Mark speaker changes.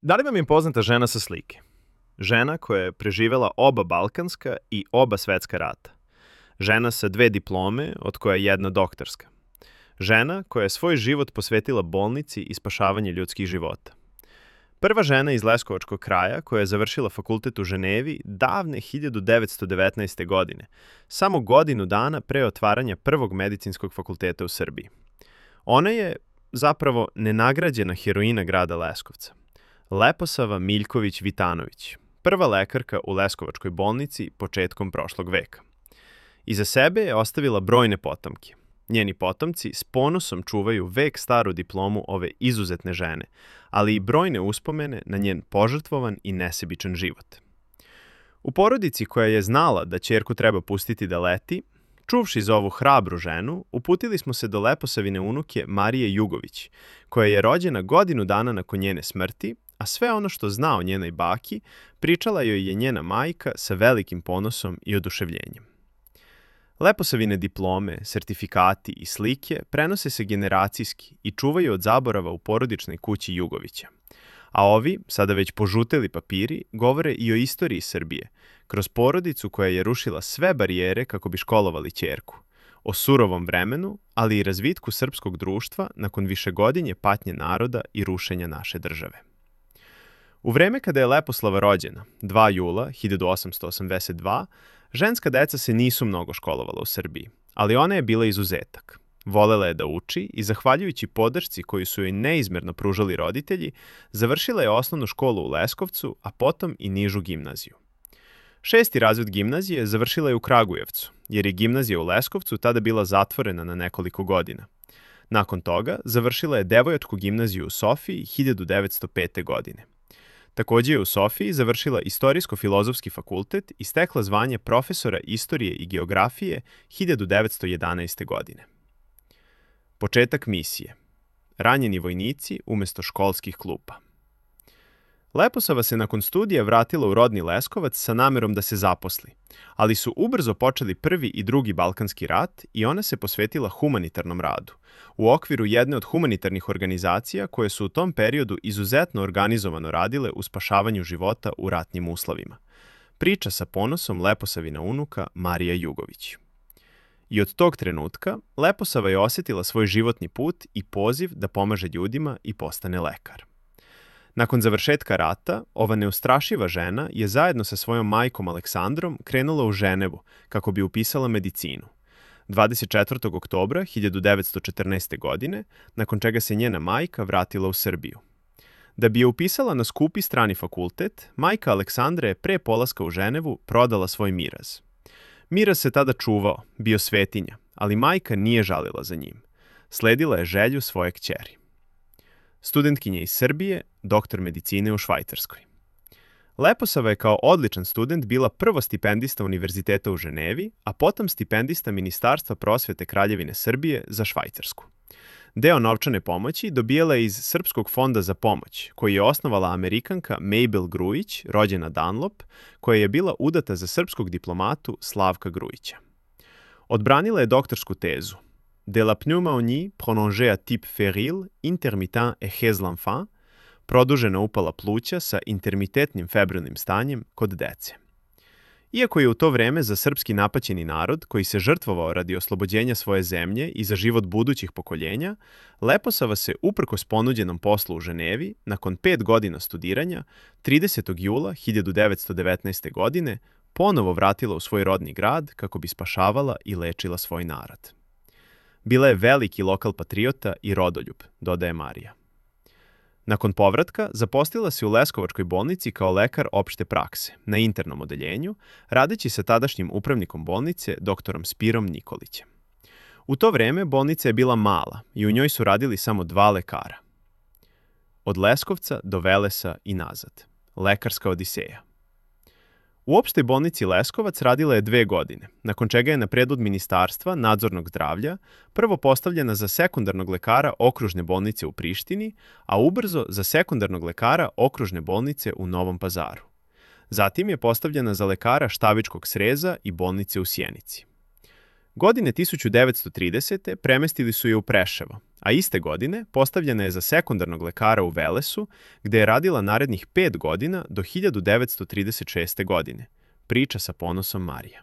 Speaker 1: Da li vam je poznata žena sa slike? Žena koja je preživela oba balkanska i oba svetska rata. Žena sa 2 diplome, od koja je jedna doktorska. Žena koja je svoj život posvetila bolnici i spašavanje ljudskih života. Prva žena iz Leskovačkog kraja koja je završila fakultet u Ženevi davne 1919. godine, samo godinu dana pre otvaranja prvog medicinskog fakulteta u Srbiji. Ona je zapravo nenagrađena heroina grada Leskovca. Leposava Miljković Vitanović, prva lekarka u Leskovačkoj bolnici početkom prošlog veka. Iza sebe je ostavila brojne potomke. Njeni potomci s ponosom čuvaju vek staru diplomu ove izuzetne žene, ali i brojne uspomene na njen požrtvovan i nesebičan život. U porodici koja je znala da ćerku treba pustiti da leti, čuvši za ovu hrabru ženu, uputili smo se do Leposavine unuke Marije Jugović, koja je rođena godinu dana nakon njene smrti, a sve ono što zna o njenoj baki pričala joj je njena majka sa velikim ponosom i oduševljenjem. Leposavine diplome, sertifikati i slike prenose se generacijski i čuvaju od zaborava u porodičnoj kući Jugovića. A ovi, sada već požuteli papiri, govore i o istoriji Srbije, kroz porodicu koja je rušila sve barijere kako bi školovali ćerku, o surovom vremenu, ali i razvitku srpskog društva nakon višegodišnje patnje naroda i rušenja naše države. U vreme kada je Leposlava rođena, 2. jula 1882, ženska deca se nisu mnogo školovala u Srbiji, ali ona je bila izuzetak. Volela je da uči i, zahvaljujući podršci koju su joj neizmerno pružali roditelji, završila je osnovnu školu u Leskovcu, a potom i nižu gimnaziju. 6. razred gimnazije završila je u Kragujevcu, jer je gimnazija u Leskovcu tada bila zatvorena na nekoliko godina. Nakon toga završila je devojačku gimnaziju u Sofiji 1905. godine. Takođe je u Sofiji završila Istorijsko-filozofski fakultet i stekla zvanje profesora istorije i geografije 1911. godine. Početak misije. Ranjeni vojnici umesto školskih klupa. Leposava se nakon studija vratila u rodni Leskovac sa namerom da se zaposli, ali su ubrzo počeli Prvi i Drugi Balkanski rat i ona se posvetila humanitarnom radu, u okviru jedne od humanitarnih organizacija koje su u tom periodu izuzetno organizovano radile u spašavanju života u ratnim uslovima. Priča sa ponosom Leposavina unuka Marija Jugović. I od tog trenutka Leposava je osjetila svoj životni put i poziv da pomaže ljudima i postane lekar. Nakon završetka rata, ova neustrašiva žena je zajedno sa svojom majkom Aleksandrom krenula u Ženevu kako bi upisala medicinu. 24. oktobra 1914. godine, nakon čega se njena majka vratila u Srbiju. Da bi je upisala na skupi strani fakultet, majka Aleksandra je pre polaska u Ženevu prodala svoj miraz. Miraz se tada čuvao, bio svetinja, ali majka nije žalila za njim. Sledila je želju svoje kćeri. Studentkinja iz Srbije, doktor medicine u Švajcarskoj. Leposava je kao odličan student bila prvo stipendista Univerziteta u Ženevi, a potom stipendista Ministarstva prosvete Kraljevine Srbije za Švajcarsku. Deo novčane pomoći dobijala je iz Srpskog fonda za pomoć, koji je osnovala Amerikanka Mabel Grujić, rođena Dunlop, koja je bila udata za srpskog diplomatu Slavka Grujića. Odbranila je doktorsku tezu De la pneumonie prolongée à type féril, intermittent et chez l'enfant, produžena upala pluća sa intermitentnim febrilnim stanjem kod dece. Iako je u to vreme za srpski napaćeni narod, koji se žrtvovao radi oslobođenja svoje zemlje i za život budućih pokoljenja, Leposava se, uprkos ponuđenom poslu u Ženevi, nakon 5 godina studiranja, 30. jula 1919. godine, ponovo vratila u svoj rodni grad kako bi spašavala i lečila svoj narod. Bila je veliki lokal patriota i rodoljub, dodaje Marija. Nakon povratka, zaposlila se u Leskovačkoj bolnici kao lekar opšte prakse, na internom odeljenju, radeći sa tadašnjim upravnikom bolnice, doktorom Spirom Nikolićem. U to vreme bolnica je bila mala i u njoj su radili samo 2 lekara. Od Leskovca do Velesa i nazad. Lekarska odiseja. U opštoj bolnici Leskovac radila je 2 godine, nakon čega je na predlog Ministarstva nadzornog zdravlja prvo postavljena za sekundarnog lekara okružne bolnice u Prištini, a ubrzo za sekundarnog lekara okružne bolnice u Novom Pazaru. Zatim je postavljena za lekara Štavičkog sreza i bolnice u Sjenici. Godine 1930. premestili su je u Preševo, a iste godine postavljena je za sekundarnog lekara u Velesu, gde je radila narednih 5 godina do 1936. godine. Priča sa ponosom Marija.